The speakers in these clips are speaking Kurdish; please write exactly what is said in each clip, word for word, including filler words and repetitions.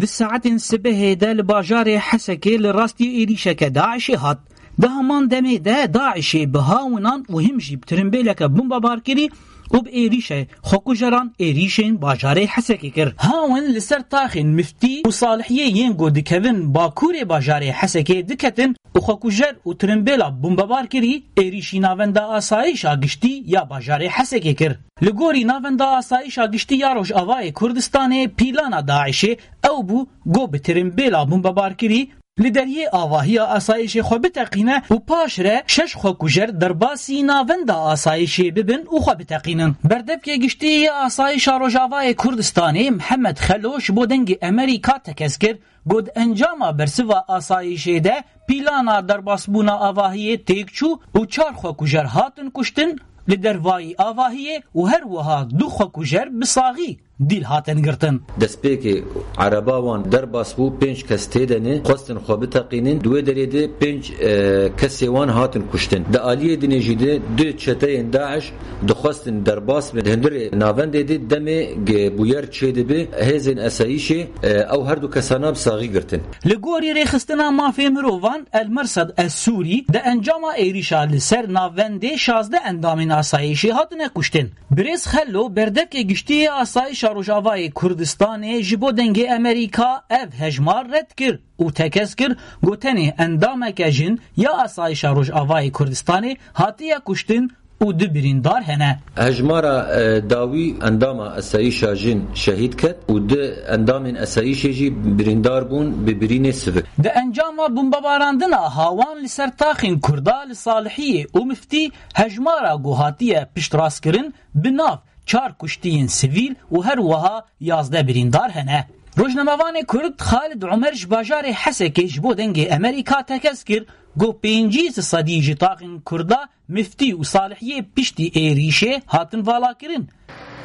Di saetên sibehê de li bajarê Hesekê li rastî êrîşeke DAIŞê hat. Di heman demê de DAIŞê bi hawinan û him jî bi tirimbêleke bombebar kirî û bi êrîşê xwekujeran êrîşên bajarê Hesekê kir. Hawin li ser taxên Miftî û Salihiyê yên ku dikevin bakurê bajarê Hesekê diketin û xwekujer û tirimbêla bombebar kirî êrîşî Navenda Asayîşa Giştî ya bajarê Hesekê kir. Li gorî Navenda Asayîşa Giştî ya Rojavayê Kurdistanê, pîlana DAIŞê ew bû ku bi tirimbêla bombebarkirî li deriyê avahiya asayîşê xwe biteqîne û paşre şeş xwekujer derbasî Navenda Asayîşê bibin û xwe biteqînin. Berdevkê Giştî ya Asayîşa Rojavayê Kurdistanê Mihemed Xelo ji bo Dengê Emerîka tekez kir, got encama bersiva asayîşê de pîlana derbasbûna avahiyê têk çû û çar xwekujer hatin kuştin li dervayî avahiyê û her wiha du xwekujer bi saxî dîl hatin girtin. Destpêkê ereba wan derbas bû, pênc kes tê de ne, xwestin xwe biteqînin. Di wê derê de pênc, e, kesê wan hatin kuştin. Di aliyê dinê jî de du çeteyên DAIŞ dixwestin derbas bin. Di hundirê navendê de demê ge bûyer çêdibe, hêzên esayîşê, e, ew her du kesana bi saxî girtin. Li gorî rêxistina mafê mirovan El Mersad Es Sûrî, di encama êrîşa li ser navendê şazdeh endamên asayîşê hatine kuştin. Birêz Xello, berdevkê giştî yê Asayîşa Rojavayê Kurdistanê, ji bo Dengê Emerîka ev hejmar red kir û tekez kir, got tenê endameke jin ya Asayîşa Rojavayê Kurdistanê hatiye kuştin û du birîndar hene. Hejmara, e, dawî endama esayîşa jin şehîd ket û du endamên esayîşê jî birîndar bûn bi birînê sivik. Di encama bombebarandina hawan li ser taxên Kurda li Salihiyê û Miftî, hejmara ku hatiye piştrastkirin bi nav çar kuştiyên sivîl û her wiha yazdeh birîndar hene. Rojnamevanê Kurd Xalid Umer ji bajarê Hesekê ji bo Dengê Emerîka tekez kir, got pêncî sedî ji taxên Kurda Miftî û Salihiyê piştî êrîşê hatin valakirin.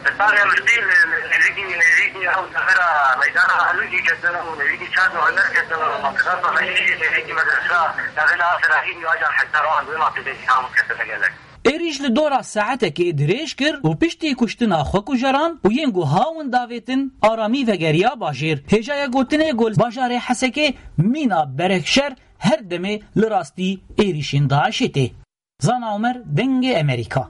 Li Salihê Miftî, li, li nêzîkî, nêzîkî ew devera meydana Helûcî ketin û nêzîkî çar û hener ketin û mantiqa Salihiyê nêzîkî medresa devê Nasir Rahîm û acar hektar an wê mafê de îslam ketine gelek. Êrîş li dora saetekê dirêj kir û piştî kuştina xwekujeran û yên ku hawin davêtin, aramî vegeriya bajêr. Hêjaya gotinê ku li bajarê Hesekê mîna berekşer her demê li rastî êrîşên DAIŞê tê. Zana Omer, Dengê Emerîka.